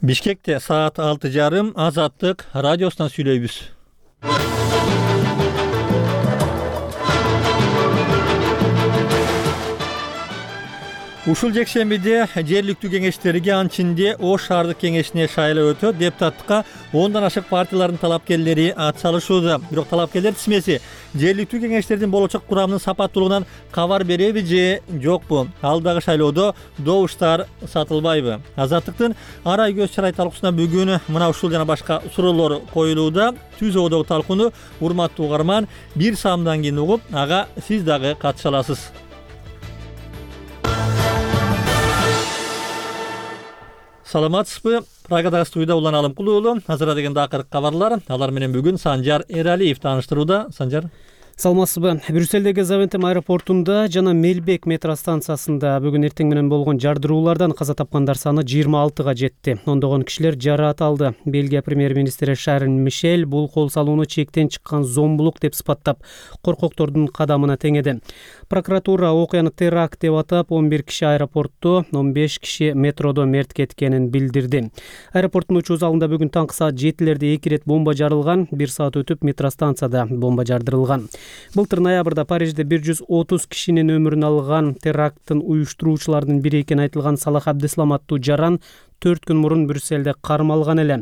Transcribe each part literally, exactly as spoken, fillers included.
Бишкекте саат алты жарым Азаттык радиосунан сүйлөйбүз. Ушул жекшембиде жергиликтүү кеңештерге анчинде Ош шаардык кеңешине шайлоо өтөт. Депутаттыкка ондан ашык партиялардын талапкерлери ат салышууда. Бирок талапкерлер тизмеси жергиликтүү кеңештердин болочок курамынын сапаттуулугунан кабар береби же жокпу? Алдагы шайлоодо добуштар сатылбайбы? Азаттыктын арай көз чарай талкуусуна бүгүн мына ушул жана башка суроолор коюлууда. Түз ободогу талкууну урматтуу угарман бир саамдан кийин угуп, ага сиз дагы катыша аласыз. Саламатсызбы? Прагадагы студияда Улан Алымкулуу. Азыр дегенде акыркы кабарлар. Алар менен бүгүн Санжар Эралиев тааныштырууда. Санжар. Саламатсызбы? Брюссельдеги Завентем аэропортунда жана Мелбек метро станциясында бүгүн эртең менен болгон жардыруулардан каза тапкандар саны жыйырма алтыга жетти. Ондогон кишилер жараат алды. Бельгия премьер-министри Шарль Мишель бул кол салууну чектен чыккан зомбулук деп сыпаттап, коркоктордун кадамына теңеди. Прокуратура окуяны теракт деп атап, он бир киши аэропортто, он беш киши метродо мерт кеткенин билдирди. Аэропорттун учуу залында бүгүн таңкы саат жетилерде эки ирет бомба жарылган, бир саат өтүп метро станцияда бомба жардырылган. Былтыр ноябрда Парижде бир жүз отуз кишинин өмүрүн алган теракттын уюштуруучуларынын бири экени айтылган Салах Абдислам аттуу жаран төрт күн мурун Брюссельде кармалган эле.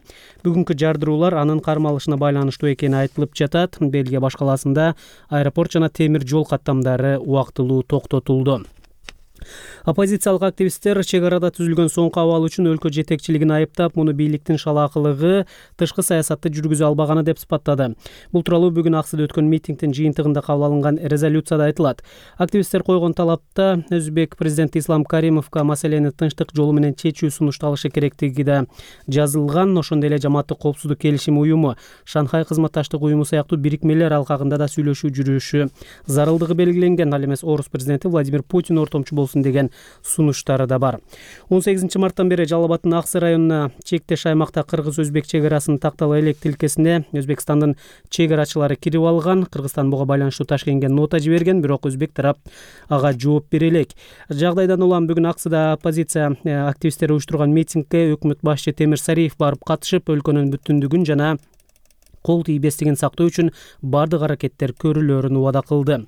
Бүгүнкү жардыруулар анын кармалышына байланыштуу экени айтылып жатат. Бельгия баш калаасында аэропорт жана темир жол каттамдары убактылуу токтотулду. Оппозициялык активисттер чек арада түзүлгөн соңку абал үчүн өлкө жетекчилигин айыптап, муну бийликтин шалаакылыгы, тышкы саясатты жүргүзө албаганы деп сыпаттады. Бул тууралуу бүгүн Аксыда өткөн митингдин жыйынтыгында кабыл алынган резолюцияда айтылат. Активисттер койгон талапта Өзбек президенти Ислам Каримовго маселени тынчтык жолу менен чечүү сунушталышы керектиги да жазылган. Ошондой эле Жамааттык коопсуздук келишим уюму, Шанхай кызматташтык уюму сыяктуу бирикмелер алкагында да сүйлөшүү жүрүшү зарылдыгы белгиленген. Ал эмес Орус президенти Владимир Путин ортомчу болсун деген сунуштары да бар. он сегизинчи марттан бери Жалал Абаддын Аксы районуна чектеш аймакта кыргыз-өзбек чек арасынын тактала элек тилкесине Өзбекстандын чек арачылары кирип алган. Кыргызстан буга байланыштуу Ташкентке нота жиберген, бирок өзбек тарап ага жооп бере элек. Жагдайдан улам бүгүн Аксыда оппозиция активисттери уюштурган митингге өкмөт башчы Темир Сариев барып катышып, өлкөнүн бүтүндүгүн жана кол тийбестигин сактоо үчүн бардык аракеттер көрүлөрүн убада кылды.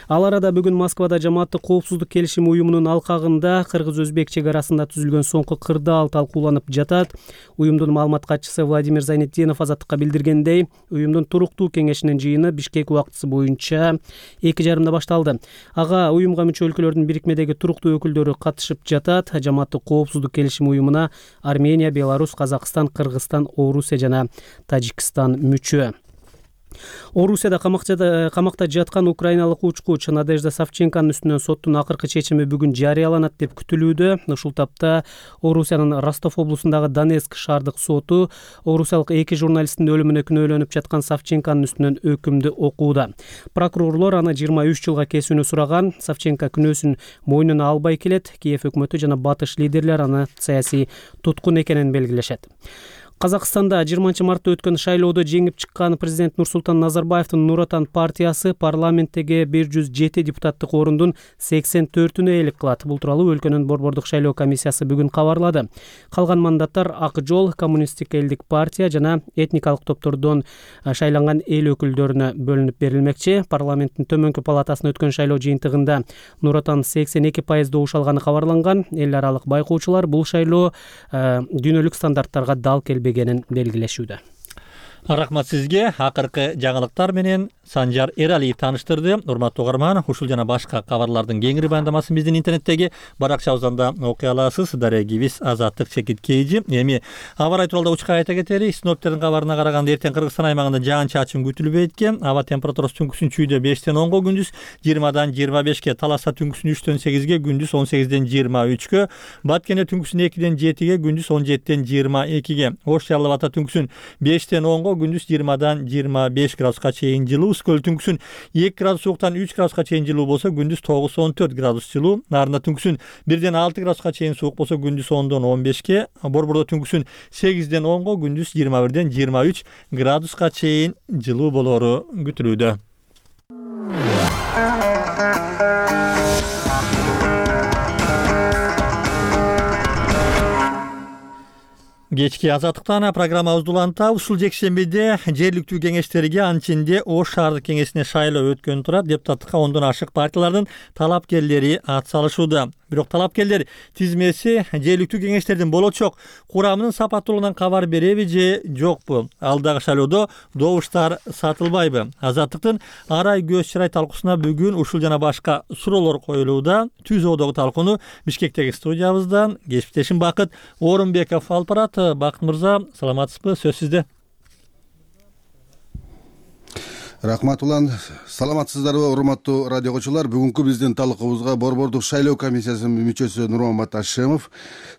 Ал арада бүгүн Москвада Жамааттык коопсуздук келишим уюмунун алкагында кыргыз-өзбек чек арасында түзүлгөн соңку кырдаал талкууланып жатат. Уюмдун маалымат катчысы Владимир Зайнетдинов Азаттыкка билдиргендей, уюмдун туруктуу кеңешинин жыйыны Бишкек убактысы боюнча эки жарымда башталды. Ага уюмга мүчө өлкөлөрдүн бирикмедеги туруктуу өкүлдөрү катышып жатат. Жамааттык коопсуздук келишим уюмуна Армения, Беларусь, Казакстан, Кыргызстан, Орусия жана Тажикстан мүчө. Орусияда камакта камакта жаткан украиналык учкуч Надежда Савченконун үстүнөн соттун акыркы чечими бүгүн жарыяланат деп күтүлүүдө. Ушул тапта Орусиянын Ростов облусундагы Донецк шаардык соту орусиялык эки журналисттин өлүмүнө күнөөлөнүп жаткан Савченконун үстүнөн өкүмдү окууда. Прокурорлор аны жыйырма үч жылга кесүүнү сураган. Савченко күнөөсүн мойнуна албай келет. Киев өкмөтү жана батыш лидерлер аны саясий туткун экенин белгилешет. Казакстанда жыйырманчы мартта өткөн шайлоодо жеңип чыккан президент Нурсултан Назарбаевдин Нур Отан партиясы парламенттеги бир жүз жети депутаттык орундун сексен төртүнө ээлик кылат. Бул тууралуу өлкөнүн борбордук шайлоо комиссиясы бүгүн кабарлады. Калган мандаттар Ак жол, Коммунисттик элдик партия жана этникалык топтордон шайланган эл өкүлдөрүнө бөлүнүп берилмекчи. Парламенттин төмөнкү палатасына өткөн шайлоо жыйынтыгында Нур Отан сексен эки пайыз добуш алганы кабарланган. Эл аралык байкоочулар бул шайлоо дүйнөлүк стандарттарга дал келбегенин белгилешүүдө. Рахмат сизге. Акыркы жаңылыктар менен Санжар Эралиев тааныштырды. Урматтуу угарман, ушул жана башка кабарлардын кеңири баяндамасын биздин интернеттеги баракчабыздан да окуй аласыз. Дарегибиз Азаттык чекит кейжи. Эми аба райы тууралуу учка айта кетели. Синоптиктердин кабарына караганда эртең Кыргызстан аймагында жаан-чачын күтүлбөйт экен. Аба температурасы түнкүсүн чүйдө бештен онго, күндүз жыйырмадан жыйырма бешке, Таласта түнкүсүн үчтөн сегизге, күндүз он сегизден жыйырма үчкө, Баткенде түнкүсүн экиден жетиге, күндүз он жетиден жыйырма экиге, Ош Жалал Абадта түнкүсүн бештен онго, күндүз жыйырмадан жыйырма беш градуска чейин жылуу. Скөл түнкүсүн эки градус сууктан үч градуска чейин жылуу болсо, күндүз тогуз он төрт градус жылуу. Нарында түнкүсүн бирден алты градуска чейин суук болсо, күндүз ондон он бешке, Борбордо түнкүсүн сегизден онго, күндүз жыйырма бирден жыйырма үч градуска чейин жылуу болору күтүлүүдө. Кечки азаттыктан программабызды улантабыз. Ушул жекшембиде жергиликтүү кеңештерге, анчинде Ош шаардык кеңешине шайлоо өткөн турат. Депутаттыкка ондон ашык партиялардын талапкерлери ат салышууда. Бирок талапкерлер тизмеси жергиликтүү кеңештердин болочок курамынын сапаттуулугунан кабар береби же жокпу? Алдагы шайлоодо добуштар сатылбайбы? Азаттыктын арай көз чырай талкуусуна бүгүн ушул жана башка суроолор коюлууда. Түз оодогу талкууну Бишкектеги студиябыздан кесиптешим Бакыт Орунбеков алып барат. Бакыт мырза, саламатсызбы? Сөз сизде. Рахмат улан. Саламатсыздарбы, урматтуу радио көрүүчүлөр? Бүгүнкү биздин талкуубузга Борбордук шайлоо комиссиясынын мүчөсү Нурмамат Ашемов,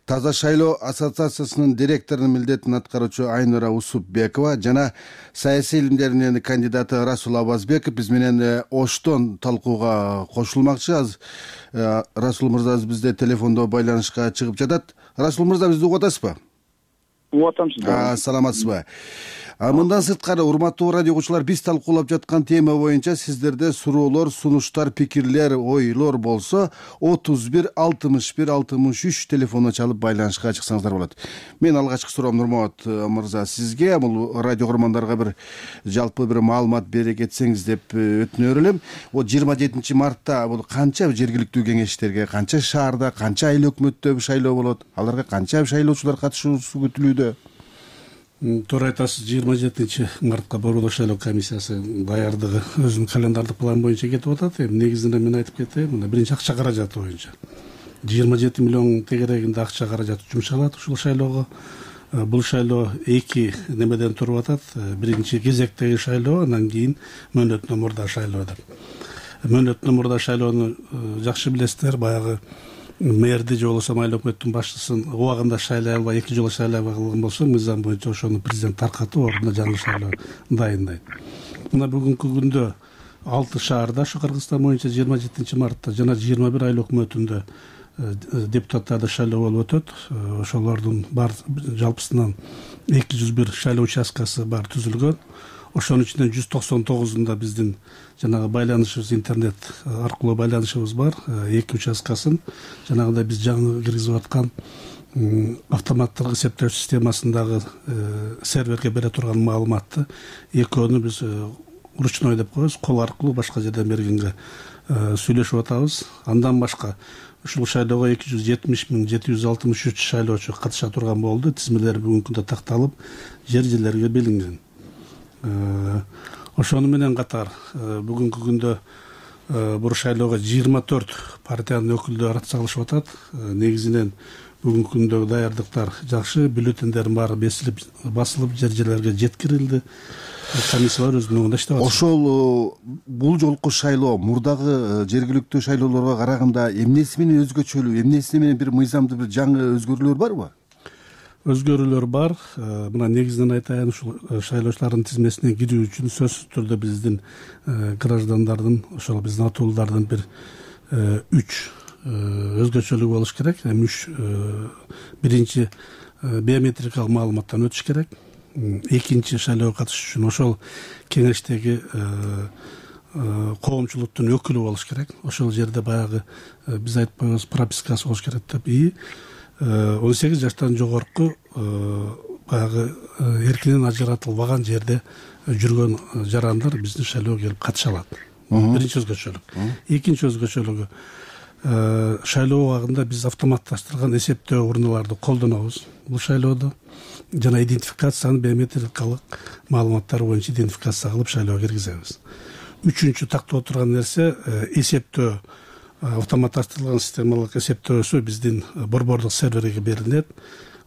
Таза шайлоо ассоциациясынын директорунун милдетин аткаруучу Айнура Усупбекова жана саясий илимдеринин кандидаты Расул Абазбеков биз менен Оштон талкууга кошулмакчы. Аз Расул мырза бизде телефондо байланышка чыгып жатат. Расул мырза, бизди угуп атасызбы? Угуп атам сизди. Саламатсызбы? Мындан сырткары, урматтуу радио окуучулар, биз талкуулап жаткан тема боюнча сиздерде суроолор, сунуштар, пикирлер, ойлор болсо отуз бир алтымыш бир алтымыш үч телефонуна чалып байланышка чыксаңыздар болот. Мен алгачкы суроом Нурмамат мырза сизге, бул радио көрөрмандарга бир жалпы бир маалымат бере кетсеңиз деп өтүнөр элем. О жыйырма жетинчи мартта бул канча жергиликтүү кеңештерге, канча шаарда, канча айыл өкмөттө шайлоо болот? Аларга канча шайлоочулар катышуусу күтүлүүдө? Туура айтасыз, жыйырма жетинчи мартка Борбордук шайлоо комиссиясы даярдыгы өзүнүн календардык план боюнча кетип атат. Эми негизинде мен айтып кетейин, мына биринчи акча каражаты боюнча жыйырма жети миллион тегерегинде акча каражаты жумшалат ушул шайлоого. Бул шайлоо эки немеден туруп атат. Биринчи кезектеги шайлоо, андан кийин мөөнөтүнөн мурда шайлоо деп. Мөөнөтүнөн мурда шайлоону жакшы билесиздер, баягы мэрди же болбосо айыл өкмөттүн башчысын убагында шайлай албай, эки жолу шайлай алган болсо, мыйзам боюнча ошону президент таркатып, ордуна жаңы шайлоо дайындайт. Мына бүгүнкү күндө алты шаарда, ушу Кыргызстан боюнча жыйырма жетинчи мартта жана жыйырма бир айыл өкмөтүндө депутаттарды шайлоо болуп өтөт. Ошолордун бар жалпысынан эки жүз бир шайлоо участкасы бар түзүлгөн. Ошонун ичинен жүз токсон тогузунда биздин жанагы байланышыбыз, интернет аркылуу байланышыбыз бар. Эки участкасын жанагыдай биз жаңы киргизип аткан автоматтык эсептөө системасындагы серверге бере турган маалыматты экөөнү биз ручной деп коебуз, кол аркылуу башка жерден бергенге сүйлөшүп атабыз. Андан башка ушул шайлоого эки жүз жетимиш миң жети жүз алтымыш үч шайлоочу катыша турган болду. Тизмелер бүгүнкү күндө такталып, жер жерлерге белгинген. Ошону менен катар бүгүнкү күндө бул шайлоого жыйырма төрт партиянын өкүлдөрү ат салышып атат. Негизинен бүгүнкү күндөгү даярдыктар жакшы, бюллетендердин баары бесилип, басылып, жер жерлерге жеткирилди. Комиссиялар өз мөөнүндө иштеп атат. Ошол бул жолку шайлоо мурдагы жергиликтүү шайлоолорго караганда эмнеси менен өзгөчөлүү, эмнеси менен бир мыйзамда бир жаңы өзгөрүүлөр барбы? Өзгөрүүлөр бар. Мына негизинен айтайын, ушул шайлоочулардын тизмесине кирүү үчүн сөзсүз түрдө биздин граждандардын, ошол биздин атуулардын бир үч өзгөчөлүгү болуш керек. Эми үч биринчи биометрикалык маалыматтан өтүш керек. Экинчи шайлоого катышыш үчүн ошол кеңештеги коомчулуктун өкүлү болуш керек. Ошол жерде баягы биз айтып коебуз, пропискасы болуш керек деп. И он сегиз жаштан жогорку баягы эркинен ажыратылбаган жерде жүргөн жарандар биздин шайлоого келип катыша алат. Биринчи өзгөчөлүк. Экинчи өзгөчөлүгү, шайлоо убагында биз автоматташтырган эсептөө урналарды колдонобуз бул шайлоодо. Жана идентификацияны биометрикалык маалыматтар боюнча идентификация кылып шайлоого киргизебиз. Үчүнчү тактоо турган нерсе эсептөө, автоматташтырылган системалык эсептөөсү биздин борбордук серверге берилет.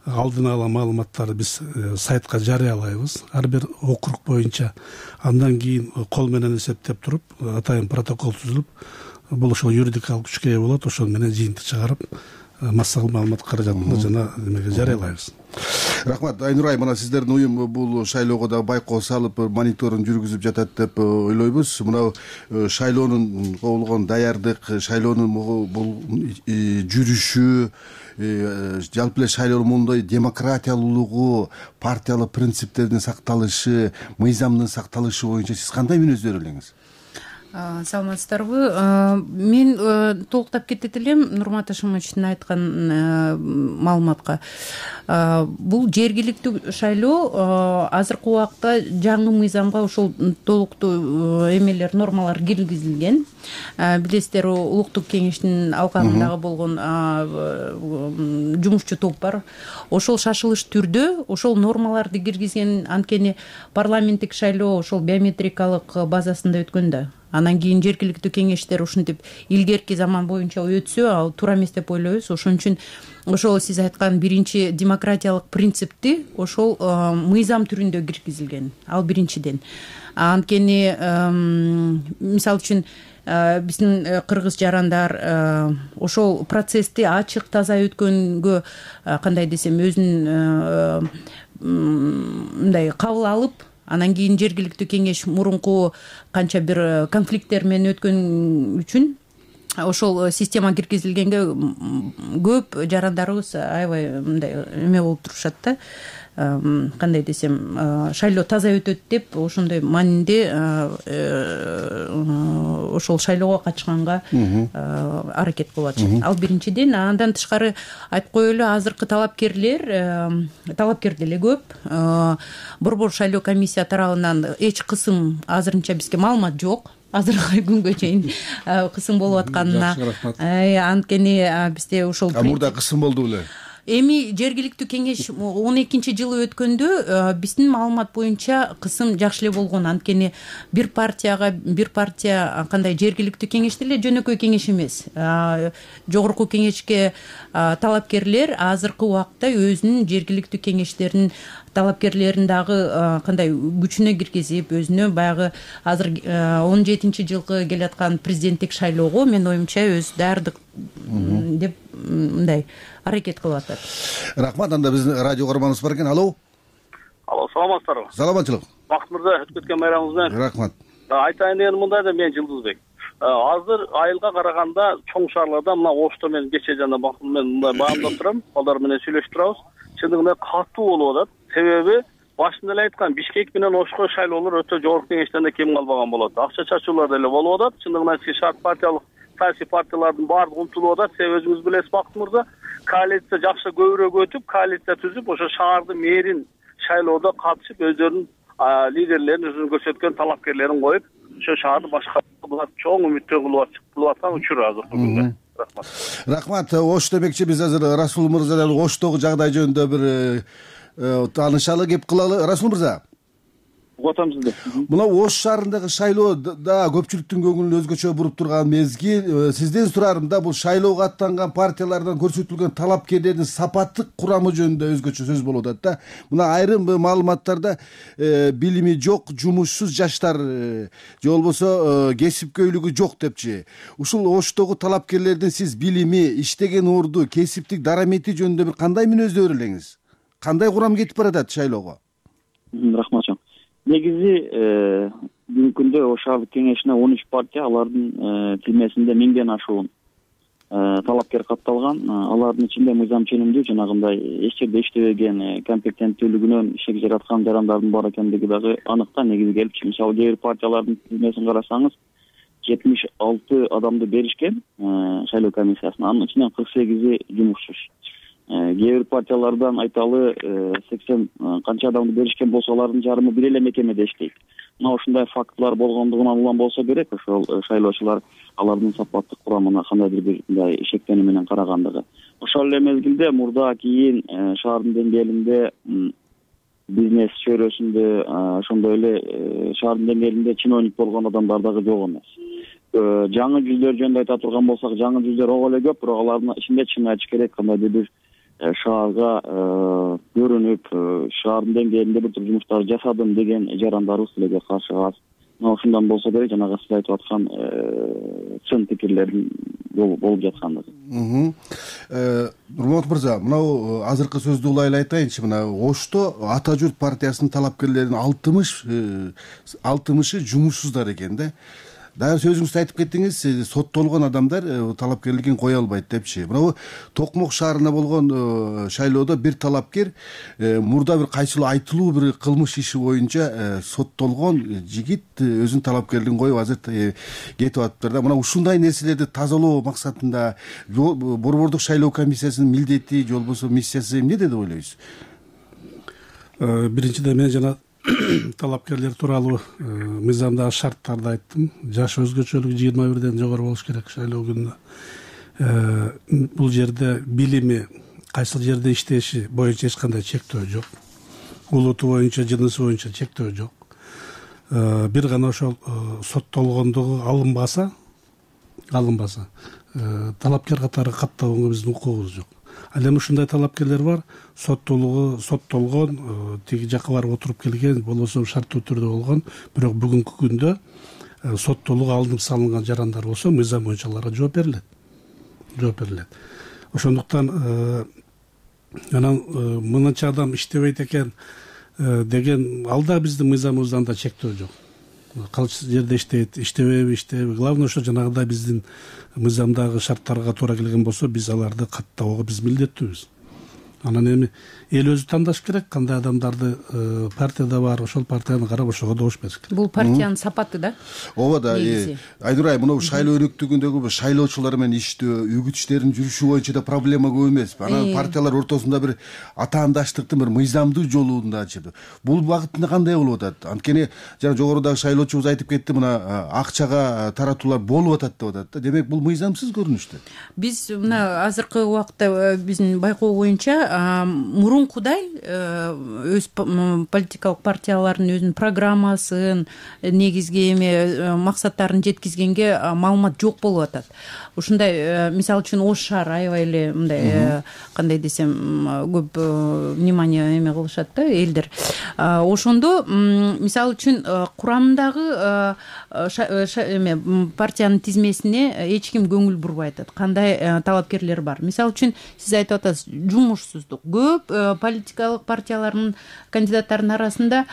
Алдын ала маалыматтарды биз сайтка жарыялайбыз, ар бир округ боюнча. Андан кийин кол менен эсептеп туруп, атайын протокол түзүлүп, бул ошол юридикалык күчкө ээ болот. Ошол менен жыйынтык чыгарып, массалык маалымат каражатына жана немеге жарыялайбыз. Рахмат. Айнурай, мына сиздердин уюм бул шайлоого да байкоо салып, мониторинг жүргүзүп жатат деп ойлойбуз. Мына шайлоонун болгон даярдык, шайлоонун бул жүрүшү, жалпы эле шайлоонун моундай демократиялуулугу, партиялык принциптердин сакталышы, мыйзамдын сакталышы боюнча сиз кандай мүнөздөр элеңиз? Саламатсыздарбы? Мен толуктап кетет элем Нурмат Ашимовичтин айткан маалыматка. Бул жергиликтүү шайлоо азыркы убакта жаңы мыйзамга ошол толуктуу эмелер, нормалар киргизилген. Билесиздер, улуттук кеңештин алкагындагы болгон жумушчу топ бар. Ошол шашылыш түрдө ошол нормаларды киргизген, анткени парламенттик шайлоо ошол биометрикалык базасында өткөн да. Анан кийин жергиликтүү кеңештер ушинтип илгерки заман боюнча өтсө, ал туура эмес деп ойлойбуз. Ошон үчүн ошол сиз айткан биринчи демократиялык принципти ошол мыйзам түрүндө киргизилген. Ал биринчиден. Анткени мисалы үчүн биздин кыргыз жарандар ошол процессти ачык, таза өткөнгө кандай десем өзүнүн мындай кабыл алып, анан кийин жергиликтүү кеңеш мурунку канча бир конфликттер менен өткөн үчүн ошол система киргизилгенге көп жарандарыбыз аябай мындай эме болуп турушат да. Кандай десем, шайлоо таза өтөт деп ошондой маанинде ошол шайлоого катышканга аракет кылып атышат. Ал биринчиден. Андан тышкары айтып коелу, азыркы талапкерлер, талапкер деле көп. Борбор шайлоо комиссия тарабынан эч кысым азырынча бизге маалымат жок. Азыркы күнгө чейин кысым болуп атканына. Анткени бизде ошол мурда кысым болду беле? Эми жергиликтүү кеңеш он экинчи жылы өткөндө биздин маалымат боюнча кысым жакшы эле болгон. Анткени бир партияга бир партия кандай жергиликтүү кеңеш деле жөнөкөй кеңеш эмес. Жогорку кеңешке талапкерлер азыркы убакта өзүнүн жергиликтүү кеңештеринин талапкерлерин дагы кандай күчүнө киргизип, өзүнө баягы азыр он жетинчи жылкы келаткан президенттик шайлоого менин оюмча өз даярдык деп мындай аракет кылып атат. Рахмат. Анда биздин радио көрөрманыбыз бар экен. Алло. Алло, саламатсыздарбы? Саламатчылык. Бакыт мырза, өтүп кеткен байрамыңыз менен. Рахмат. Айтайын дегеним мындай да, мен Жылдызбек. Азыр айылга караганда чоң шаарларда мына Ошто мен кече жана Бакыт менен мындай баамдап турам, алар менен сүйлөшүп турабыз. Чындыгында катуу болуп атат. Себеби башында эле айткан, Бишкек менен Ошко шайлоолор өтө жогорку кеңештен да кем калбаган болот. Акча чачуулар деле болуп атат. Чындыгында шарт партиялык саясий партиялардын баардыгы умтулуп атат. Себеби өзүңүз билесиз, Бакыт мырза, коалиция жакшы көбүрөөк өтүп, коалиция түзүп, ошо шаардын мэрин шайлоодо катышып, өздөрүнүн лидерлерин, өзүнүн көрсөткөн талапкерлерин коюп, ошо шаарды башкарууга чоң үмүттөр кылып аткан учур азыркы күндө. Рахмат. Рахмат. Ош демекчи, биз азыр Расул мырзадан Оштогу жагдай жөнүндө бир таанышалы кеп кылалы. Расул мырза, Угатам сизди. Мына Ош шаарындагы шайлоо да көпчүлүктүн көңүлүн өзгөчө буруп турган мезгил. Сизден сурарым да, бул шайлоого аттанган партиялардан көрсөтүлгөн талапкерлердин сапаттык курамы жөнүндө өзгөчө сөз болуп атат да. Мына айрым маалыматтарда билими жок, жумушсуз жаштар же болбосо кесипкөйлүгү жок депчи. Ушул Оштогу талапкерлердин сиз билими, иштеген орду, кесиптик дарамети жөнүндө бир кандай мүнөздө элеңиз? Кандай курам кетип баратат шайлоого? Рахмат. Негизи бүгүнкү күндө Ош шаардык кеңешине он үч партия, алардын тилмесинде миңден ашуун талапкер катталган. Алардын ичинде мыйзам ченемдүү, жанагындай эч жерде иштебеген, компетенттүүлүгүнөн ишек жараткан жарандардын бар экендиги дагы анык да. Негизи келип, мисалы кээ бир партиялардын тилмесин карасаңыз, жетимиш алты адамды беришкен шайлоо комиссиясына, анын ичинен кырк сегизи жумушсуз. Кээ бир партиялардан айталы сексен канча адамды беришкен болсо, алардын жарымы бир эле мекемеде иштейт. Мына ушундай фактылар болгондугунан улам болсо керек, ошол шайлоочулар алардын сапаттык курамына кандайдыр бир мындай ишектенүү менен карагандыгы. Ошол эле мезгилде мурда кийин шаардын деңгээлинде, бизнес чөйрөсүндө, ошондой эле шаардын деңгээлинде чиновник болгон адамдар дагы жок эмес. Жаңы жүздөр жөнүндө айта турган болсак, жаңы жүздөр ого эле көп, бирок алардын ичинде чын айтыш керек, кандайдыр бир шаарга көрүнүп, шаардын деңгээлинде бир топ жумуштар жасадым деген жарандарыбыз деле каршы аз. Мына ушундан болсо керек, жанагы сиз айтып аткан чын пикирлердин болуп жаткандыгы. Нурмат мырза, мына азыркы сөздү улай эле айтайынчы, мына Ошто Ата журт партиясынын талапкерлеринин алтымышы алтымышы жумушсуздар экен да. дагы сөзүңүздө айтып кеттиңиз, соттолгон адамдар талапкерлигин кое албайт депчи. Мына Токмок шаарына болгон шайлоодо бир талапкер мурда бир кайсылуу айтылуу бир кылмыш иши боюнча соттолгон жигит өзүнүн талапкерлигин коюп азыр кетип атыптыр да. Мына ушундай нерселерди тазалоо максатында борбордук шайлоо комиссиясынын милдети же болбосо миссиясы эмне деп ойлойсуз? Биринчиден мен жана талапкерлер тууралуу мыйзамдагы шарттарды айттым. Жаш өзгөчөлүгү жыйырма бирден жогору болуш керек шайлоо күнүнө. Бул жерде билими, кайсыл жерде иштеши боюнча эч кандай чектөө жок. Улуту боюнча, жынысы боюнча чектөө жок. Бир гана ошол соттолгондугу алынбаса, алынбаса, талапкер катары каттабууга биздин укугубуз жок. Ал эми ушундай талапкерлер бар, соттолугу соттолгон, тиги жакка барып отуруп келген, болбосо шарттуу түрдө болгон, бирок бүгүнкү күндө соттолугу алынып салынган жарандар болсо, мыйзам боюнча аларга жооп берилет. Жооп берилет. Ошондуктан анан мынанча адам иштебейт экен деген ал да биздин мыйзамыбыздан да чектөө жок. Кайсы жерде иштейт, иштебейби, иштебейби. Главное ошо жанагыдай биздин мыйзамдагы шарттарга туура келген болсо, биз аларды каттоого биз милдеттүүбүз. Анан эми эл өзү тандаш керек, кандай адамдарды партияда бар, ошол партияны карап ошого добуш бериш керек. Бул партиянын сапаты да. Ооба да. Айнур айым, мына шайлоо өнөктүгүндөгү шайлоочулар менен иштөө, үгүт иштерин жүрүшү боюнча да проблема көп эмеспи? Анан партиялар ортосунда бир атаандаштыктын бир мыйзамдуу жолунда ачып. Бул багытында кандай болуп атат? Анткени жана жогорудагы шайлоочубуз айтып кетти, мына акчага таратуулар болуп атат деп атат да. Демек бул мыйзамсыз көрүнүштө. Биз мына азыркы убакытта биздин байкоо боюнча мурункудай өз политикалык партиялардын өзүнүн программасын, негизги эме максаттарын жеткизгенге маалымат жок болуп атат. Ушундай мисалы үчүн Ош шаар аябай эле мындай кандай десем көп внимание эме кылышат да элдер. Ошондо мисалы үчүн курамындагы эме партиянын тизмесине эч ким көңүл бурбай атат. Кандай талапкерлер бар? Мисалы үчүн сиз айтып атасыз, жумушсуздук. Көп политикалык партиялардын кандидаттарынын арасында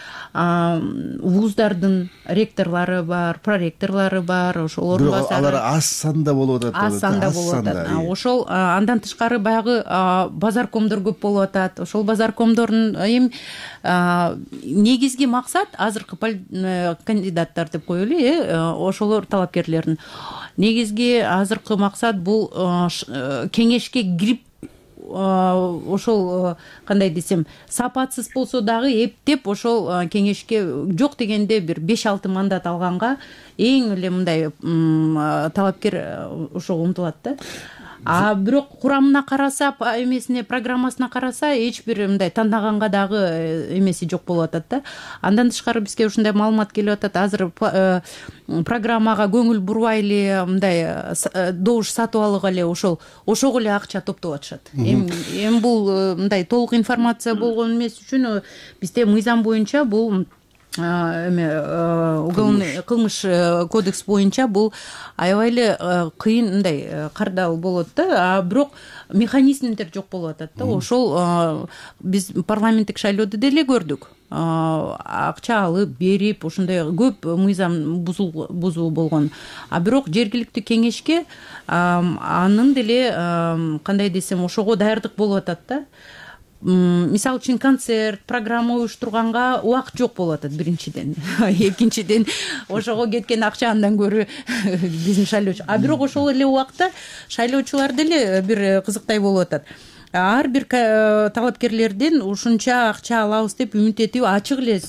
вуздардын ректорлору бар, проректорлору бар, ошол орун басары. Алар аз санда болуп атат. Аз санда болуп атат. Ошол андан тышкары баягы базаркомдор көп болуп атат. Ошол базаркомдордун эми негизги максат азыркы кандидаттар деп коелу, э, ошолор талапкерлердин негизги азыркы максат бул кеңешке кирип ошол кандай десем сапатсыз болсо дагы эптеп ошол кеңешке жок дегенде бир беш алты мандат алганга эң эле мындай талапкер ошого умтулат да. А бирок курамына караса, эмесине программасына караса эч бир мындай тандаганга дагы эмеси жок болуп атат да. Андан тышкары бизге ушундай маалымат келип атат. Азыр программага көңүл бурбай эле мындай добуш сатып алып эле ошол ошого эле акча топтоп атышат. Эми бул мындай толук информация болгон эмес үчүн бизде мыйзам боюнча бул эме уголовный кылмыш кодекс боюнча бул аябай эле кыйын мындай кардал болот да. А бирок механизмдер жок болуп атат да. Ошол биз парламенттик шайлоодо деле көрдүк. Акча алып берип ушундай көп мыйзам бузуу болгон. А бирок жергиликтүү кеңешке анын деле кандай десем ошого даярдык болуп атат да. Мисалы үчүн концерт, программа уюштурганга убакыт жок болуп атат биринчиден. Экинчиден ошого кеткен акча андан көрө биздин шайлоочу. А бирок ошол эле убакта шайлоочулар деле бир кызыктай болуп атат. Ар бир талапкерлерден ушунча акча алабыз деп үмүт этип ачык эле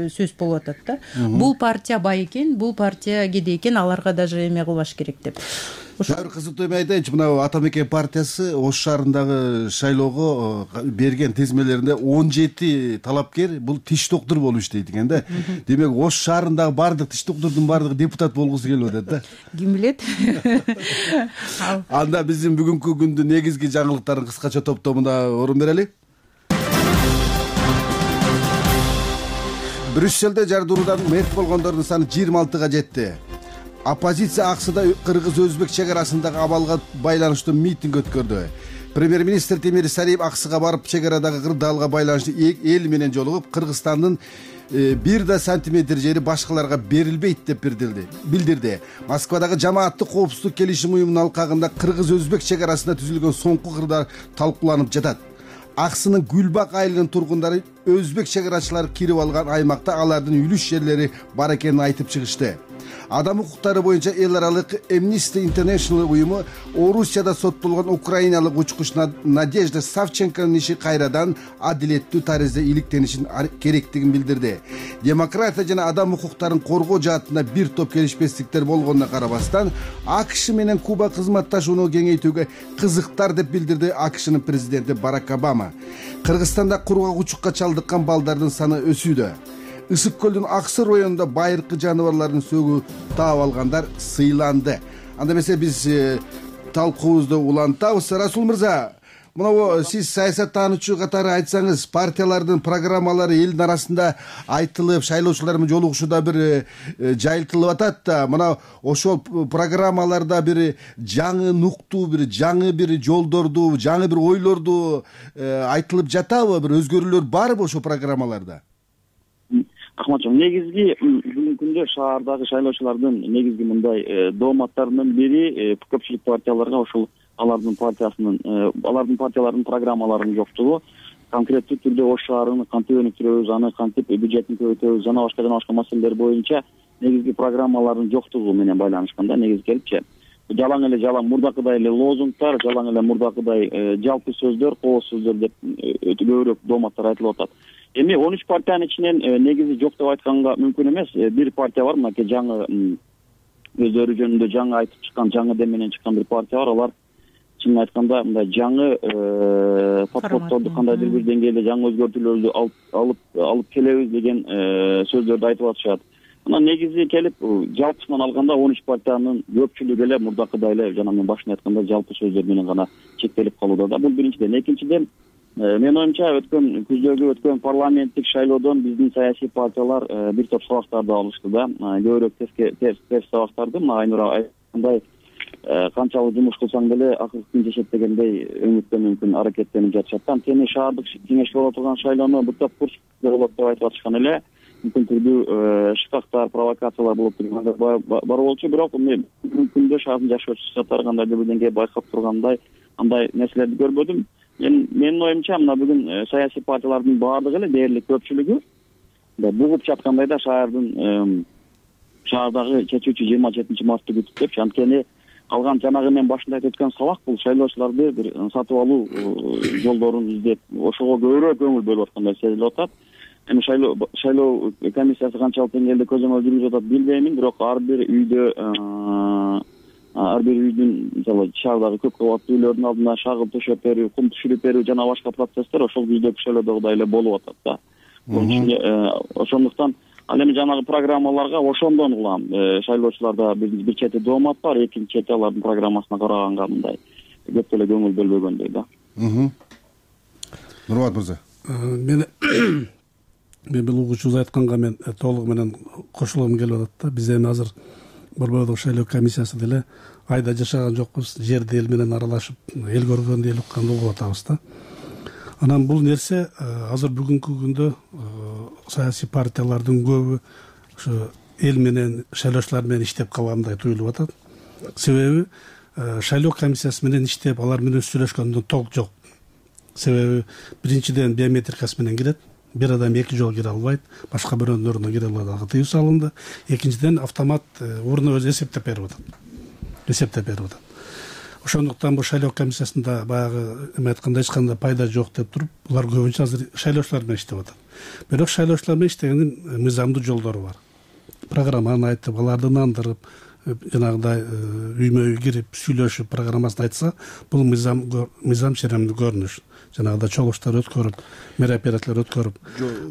сөз болуп атат да. Бул партия бай экен, бул партия кедей экен, аларга даже эме кылбаш керек деп. Дагы кызыктуу эме айтайынчы, мына Ата Мекен партиясы Ош шаарындагы шайлоого берген тизмелеринде он жети талапкер бул тиш доктор болуп иштейт экен да. Демек Ош шаарындагы бардык тиш доктордун бардыгы депутат болгусу келип атат да. Ким билет? Анда биздин бүгүнкү күндүн негизги жаңылыктарын кыскача топтомуна орун берели. Брюсселде жардыруудан мерт болгондордун саны жыйырма алтыга жетти. Оппозиция Аксыда кыргыз-өзбек чек арасындагы абалга байланыштуу митинг өткөрдү. Премьер-министр Темир Сариев Аксыга барып, чек арадагы кырдаалга байланыштуу эл менен жолугуп, Кыргызстандын бир да сантиметр жери башкаларга берилбейт деп билдирди. Москвадагы жамааттык коопсуздук келишим уюмунун алкагында кыргыз-өзбек чек арасында түзүлгөн соңку кырдаал талкууланып жатат. Аксынын Гүлбак айылынын тургундары өзбек чек арачылары кирип алган аймакта алардын үлүш жерлери бар экенин айтып чыгышты. Адам укуктары боюнча эл аралык Amnesty International уюму Орусияда соттолгон украиналык учкуч Надежда Савченконун иши кайрадан адилеттүү таризде иликтенишин керектигин билдирди. Демократия жана адам укуктарын коргоо жаатында бир топ келишпестиктер болгонуна карабастан, АКШ менен Куба кызматташууну кеңейтүүгө кызыктар деп билдирди АКШнын президенти Барак Обама. Кыргызстанда кургагучукка чалдыккан балдардын саны өсүүдө. Ысык көлдүн Аксы районунда байыркы жаныбарлардын сөгү таап алгандар сыйланды. Анда эмесе биз талкуубузду улантабыз. Расул мырза, мына сиз саясаттануучу катары айтсаңыз, партиялардын программалары элдин арасында айтылып, шайлоочулар менен жолугушууда бир жайылтылып атат да, мына ошол программаларда бир жаңы нуктуу, бир жаңы бир жолдорду, жаңы бир ойлорду айтылып жатабы? Бир өзгөрүүлөр барбы ошол программаларда? Рахматжон, негизги бүгүнкү күндө шаардагы шайлоочулардын негизги мындай дооматтарынын бири көпчүлүк партияларга ошол алардын партиясынын алардын партияларынын программаларынын жоктугу, конкреттүү түрдө ош шаарын кантип өнүктүрөбүз, аны кантип бюджетин көбөйтөбүз, жана башка жана башка маселелер боюнча негизги программалардын жоктугу менен байланышкан да негизи келипчи. Жалаң эле жалаң мурдакыдай эле лозунгтар, жалаң эле мурдакыдай жалпы сөздөр, кооз сөздөр деп көбүрөөк дооматтар айтылып атат. Эми он үч партиянын ичинен негизи жок деп айтканга мүмкүн эмес. Бир партия бар, мынакей жаңы өздөрү жөнүндө жаңы айтып чыккан, жаңы дем менен чыккан бир партия бар. Алар чынын айтканда мындай жаңы подходдорду кандайдыр бир деңгээлде жаңы өзгөртүүлөрдү алып алып алып келебиз деген сөздөрдү айтып атышат. Мына негизи келип жалпысынан алганда он үч партиянын көпчүлүгү эле мурдакыдай эле жана мен башында айткандай жалпы сөздөр менен гана чектелип калууда да. Бул биринчиден. Экинчиден, менин оюмча өткөн күздөгү өткөн парламенттик шайлоодон биздин саясий партиялар бир топ сабактарды алышты да. Көбүрөөк терс сабактарды, мына Айнура айткандай, канчалык жумуш кылсаң деле акыркы күн жешет дегендей өңүттөн мүмкүн аракеттенип жатышат. Анткени шаардык кеңеш болуп турган шайлоону бир топ курч болот деп айтып атышкан эле. Мүмкүн түрдүү шыкактар, провокациялар болуп тургандар бар болчу, бирок бүгүнкү күндө шаардын жашоочулары кандайдыр бир деңгээлде байкап тургандай андай нерселерди көрбөдүм. Мен менин оюмча мына бүгүн саясий партиялардын баардыгы эле дээрлик көпчүлүгү бугуп жаткандай да шаардын шаардагы чечүүчү жыйырма жетинчи мартты күтүп депчи. Анткени калган жанагы мен башында айтып өткөн сабак бул шайлоочуларды бир сатып алуу жолдорун издеп, ошого көбүрөөк көңүл бөлүп аткандай сезилип атат. Эми шайлоо шайлоо комиссиясы канчалык деңгээлде көзөмөл жүргүзүп атат билбеймин, бирок ар бир үйдө ар бир үйдүн мисалы шаардагы көп кабаттуу үйлөрдүн алдына шагыл төшөп берүү, кум түшүрүп берүү жана башка процесстер ошол күздөгү шайлоодогудай эле болуп атат да. Ошондуктан ал эми жанагы программаларга ошондон улам шайлоочуларда бир чети доомат бар, экинчи чети алардын программасына караганга мындай көп деле көңүл бөлбөгөндөй да. Нурбат мырза. Мен мен бул угуучубуз айтканга мен толугу менен кошулгум келип атат да. Биз эми азыр Борбордук шайлоо комиссиясы деле айда жашаган жокпуз, жерди эл менен аралашып, эл көргөндү эл укканды угуп атабыз да. Анан бул нерсе азыр бүгүнкү күндө саясий партиялардын көбү ошо эл менен, шайлоочулар менен иштеп калгандай туюлуп атат. Себеби шайлоо комиссиясы менен иштеп, алар менен сүйлөшкөндөн толк жок. Себеби биринчиден биометрикасы менен кирет. Бир адам эки жолу кире албайт, башка бирөөнүн ордуна кире алууга тыюу салынды. Экинчиден автомат ордуна өзү эсептеп берип атат. Эсептеп берип атат. Ошондуктан бул шайлоо комиссиясында баягы эме айткандай эч кандай пайда жок деп туруп, булар көбүнчө азыр шайлоочулар менен иштеп атат. Бирок шайлоочулар менен иштегендин мыйзамдуу жолдору бар. Программаны айтып, аларды нандырып, жанагыдай үймө үй кирип сүйлөшүп программасын айтса, бул мыйзам мыйзам ченемдүү көрүнүш. Жанагыдай чогулуштар өткөрүп, мероприятиялар өткөрүп,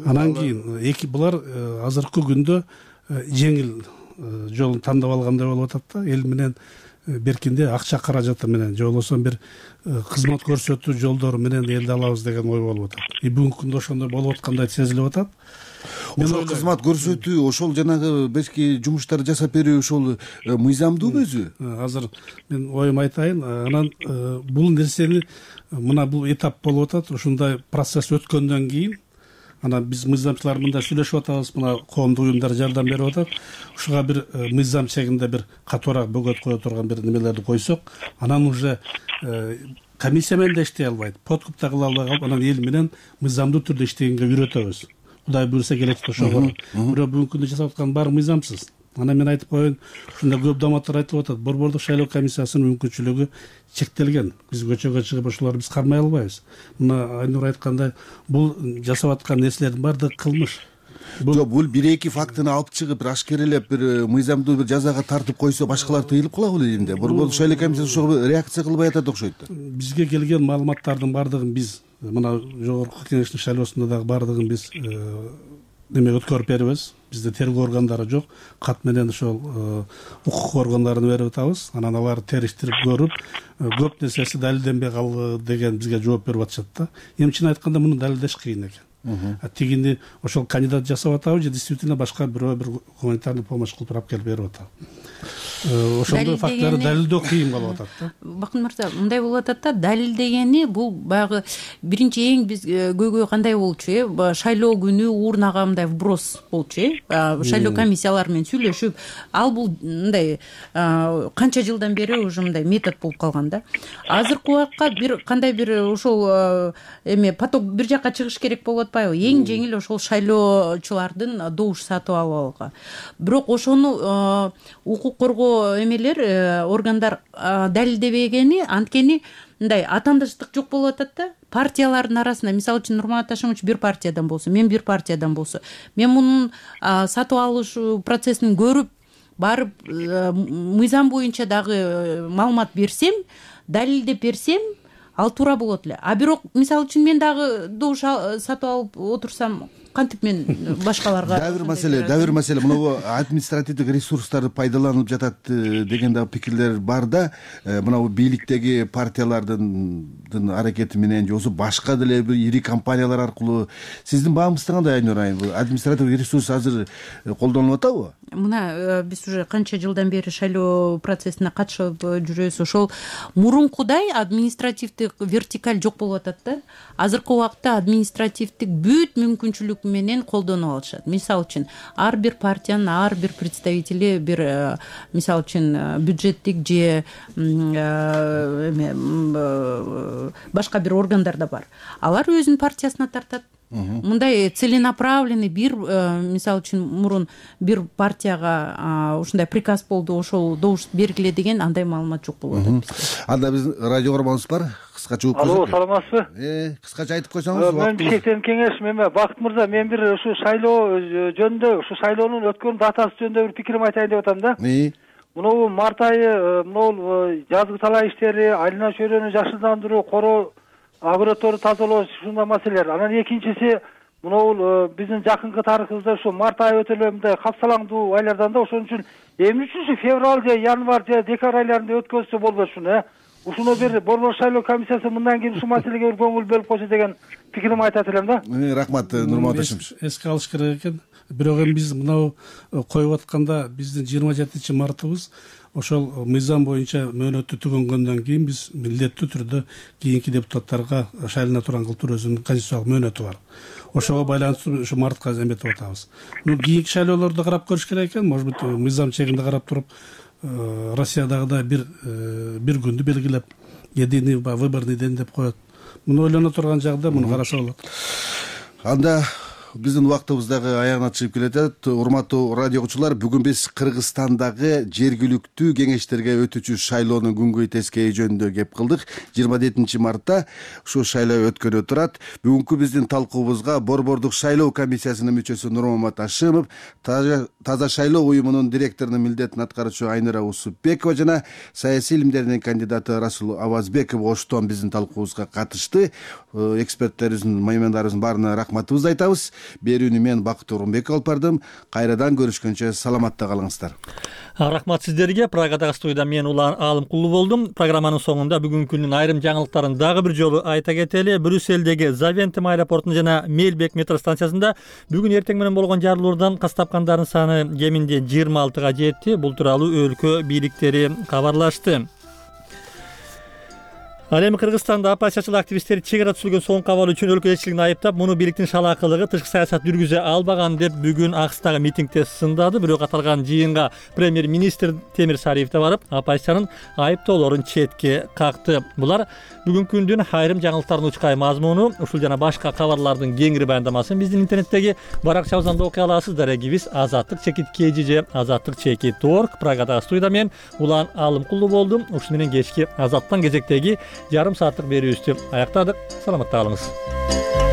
анан кийин эки булар азыркы күндө жеңил жолун тандап алгандай болуп атат да. Эл менен беркинде акча каражаты менен же болбосо бир кызмат көрсөтүү жолдору менен элди алабыз деген ой болуп атат. И бүгүнкү күндө ошондой болуп аткандай сезилип атат. Ошол кызмат көрсөтүү, ошол жанагы бешки жумуштарды жасап берүү ошол мыйзамдуубу өзү? Азыр мен оюм айтайын, анан бул нерсени мына бул этап болуп атат. Ушундай процесс өткөндөн кийин анан биз мыйзамчылар мында сүйлөшүп атабыз, мына коомдук уюмдар жардам берип атат. Ушуга бир мыйзам чегинде бир катуураак бөгөт кое турган бир немелерди койсок, анан уже комиссия менен да иштей албайт, подкуп да кыла албай калып, анан эл менен мыйзамдуу түрдө иштегенге үйрөтөбүз. Кудай буюрса келечекте ошого. Бирок бүгүнкү күндө жасап аткан баары мыйзамсыз. Анан мен айтып коеюн, ушунда көп доматтар айтылып атат. Борбордук шайлоо комиссиясынын мүмкүнчүлүгү чектелген. Биз көчөгө чыгып ошолорду биз кармай албайбыз. Мына Айнур айткандай, бул жасап аткан нерселердин баардыгы кылмыш. Жок, бул бир-эки фактыны алып чыгып, ашкерелеп, бир мыйзамдуу бир жазага тартып койсо, башкалар тыйылып калабы элимде? Борбордук шайлоо комиссиясы ошого реакция кылбай атат окшойт да. Бизге келген маалыматтардын баардыгын биз мына жогорку кеңештин шайлоосунда дагы баардыгын биз неме өткөрүп беребиз. Бизде тергөө органдары жок, кат менен ошол укук органдарына берип атабыз. Анан алар териштирип көрүп, көп нерсеси далилденбей калды деген бизге жооп берип атышат да. Эмчини айтканда муну далилдеш кыйын экен. Тигини ошол кандидат жасап атабы же действительно башка бирөө бир гуманитарный помощь кылып алып келип берип атабы. Ошондой фактыларды далилдөө кыйын болуп атат да. Бакын мырза, мындай болуп атат да, далилдегени бул баягы биринчи эң биз көйгөй кандай болчу, э? Шайлоо күнү урнага мындай вброс болчу, э? Шайлоо комиссиялары менен сүйлөшүп, ал бул мындай канча жылдан бери уже мындай метод болуп калган да. Азыркы убакка бир кандай бир ошол эме поток бир жакка чыгыш керек болуп атпайбы? Эң жеңил ошол шайлоочулардын добуш сатып алууга. Бирок ошону укук коргоо эмелер, органдар далилдебегени, анткени мындай атаандаштык жок болуп атат да. Партиялардын арасында, мисалы үчүн Нурмат Ашимович бир партиядан болсо, мен бир партиядан болсо, мен мунун сатып алыш процессин көрүп, барып мыйзам боюнча дагы маалымат берсем, далилдеп берсем, ал туура болот эле. А бирок мисалы үчүн мен дагы добуш сатып алып отурсам, кантип мен башкаларга дагы бир маселе, дагы бир маселе, мына административдик ресурстар пайдаланылып жатат деген дагы пикирлер бар да. Мына бийликтеги партиялардын аракети менен же болбосо башка деле бир ири компаниялар аркылуу сиздин баамыңызда кандай, Айнур айым? Административдик ресурс азыр колдонулуп атабы? Мына биз уже канча жылдан бери шайлоо процессине катышып жүрөбүз. Ошол мурункудай административдик вертикаль жок болуп атат да. Азыркы убакта административдик бүт мүмкүнчүлүк менен колдонуп алышат. Мисалы үчүн ар бир партиянын ар бир представители бир мисалы үчүн бюджеттик же эме башка бир органдар да бар. Алар өзүнүн партиясына тартат. Мындай целенаправленный бир мисалы үчүн мурун бир партияга ушундай приказ болду, ошол добуш бергиле деген андай маалымат жок болуп атат. Анда биздин радио көрөрманыбыз бар. Кыскача угуп Алло, саламатсызбы? Э, кыскача айтып койсоңуз. Мен чектен кеңеш, эме Бакыт мырза, мен бир ушу шайлоо жөнүндө, ушу шайлоонун өткөн датасы жөнүндө бир пикирим айтайын деп атам да. Муну март айы, мына жазгы талаа иштери, айлана чөйрөнү жашылдандыруу, короо, огородторду тазалоо, ушундай маселелер. Анан экинчиси, мына биздин жакынкы тарыхыбызда ушу март айы өтө эле мындай капсалаңдуу айлардан да, ошон үчүн эмне үчүн ушу февраль же январь же декабрь айларында өткөзсө болбойт ушуну, э? Ушуну бир борбор шайлоо комиссиясы мындан кийин ушул маселеге бир көңүл бөлүп койсо деген пикирим айтат элем да. Рахмат, Нурмат Ашимович. Эске алыш керек экен. Бирок эми биз мынау коюп атканда биздин жыйырма жетинчи мартыбыз ошол мыйзам боюнча мөөнөттү түгөнгөндөн кийин биз милдеттүү түрдө кийинки депутаттарга шайлана турган кылып өзүнүн конституциялык мөөнөтү бар. Ошого байланыштуу ушу мартка эметип атабыз. Ну кийинки шайлоолорду карап көрүш керек экен. Может быть, мыйзам чегинде карап туруп, Россиядагыдай бир бир күндү белгилеп, единый выборный день деп коет. Муну ойлоно турган жагда муну караса болот. Анда биздин убактыбыз дагы аягына чыгып келатат. Урматтуу радио угуучулар, бүгүн биз Кыргызстандагы жергиликтүү кеңештерге өтүүчү шайлоонун күнгөй тескейи жөнүндө кеп кылдык. жыйырма жетинчи мартта ушул шайлоо өткөнү турат. Бүгүнкү биздин талкуубузга Борбордук шайлоо комиссиясынын мүчөсү Нурмат Ашимов, Таза шайлоо уюмунун директорунун милдетин аткаруучу Айнура Усупбекова жана саясий илимдердин кандидаты Расул Авазбеков оштон биздин талкуубузга катышты. Эксперттерибиздин, меймандарыбыздын баарына рахматыбызды айтабыз. Берүүнү мен Бакыт Орунбеков алып бардым. Кайрадан көрүшкөнчө саламатта калыңыздар. Рахмат сиздерге. Прагадагы студияда мен Улан Алымкулуу болдум. Программанын соңунда бүгүнкү күндүн айрым жаңылыктарын дагы бир жолу айта кетели. Брюсселдеги Завентем аэропортунда жана Мелбек метро станциясында бүгүн эртең менен болгон жарылуулардан кас тапкандардын саны кеминде жыйырма алтыга жетти. Бул тууралуу өлкө бийликтери кабарлашты. Ал эми Кыргызстанда оппозициячыл активисттер чек ара түзүлгөн соңку абал үчүн өлкө элчилигин айыптап, муну бийликтин шалаакылыгы тышкы саясат жүргүзө албаган деп бүгүн Акстагы митингде сындады. Бирок аталган жыйынга премьер-министр Темир Сариев да барып, оппозициянын айыптоолорун четке какты. Булар бүгүнкү күндүн айрым жаңылыктардын учкай мазмуну. Ушул жана башка кабарлардын кеңири баяндамасын биздин интернеттеги баракчабыздан да окуй аласыз. Дарегибиз Азаттык чекит кж же Азаттык чекит орг. Прагадагы студияда мен Улан Алымкулуу болдум. Ушуну менен кечки Азаттан кезектеги жарым сааттык берүүбүздү аяктадык. Саламатта калыңыз.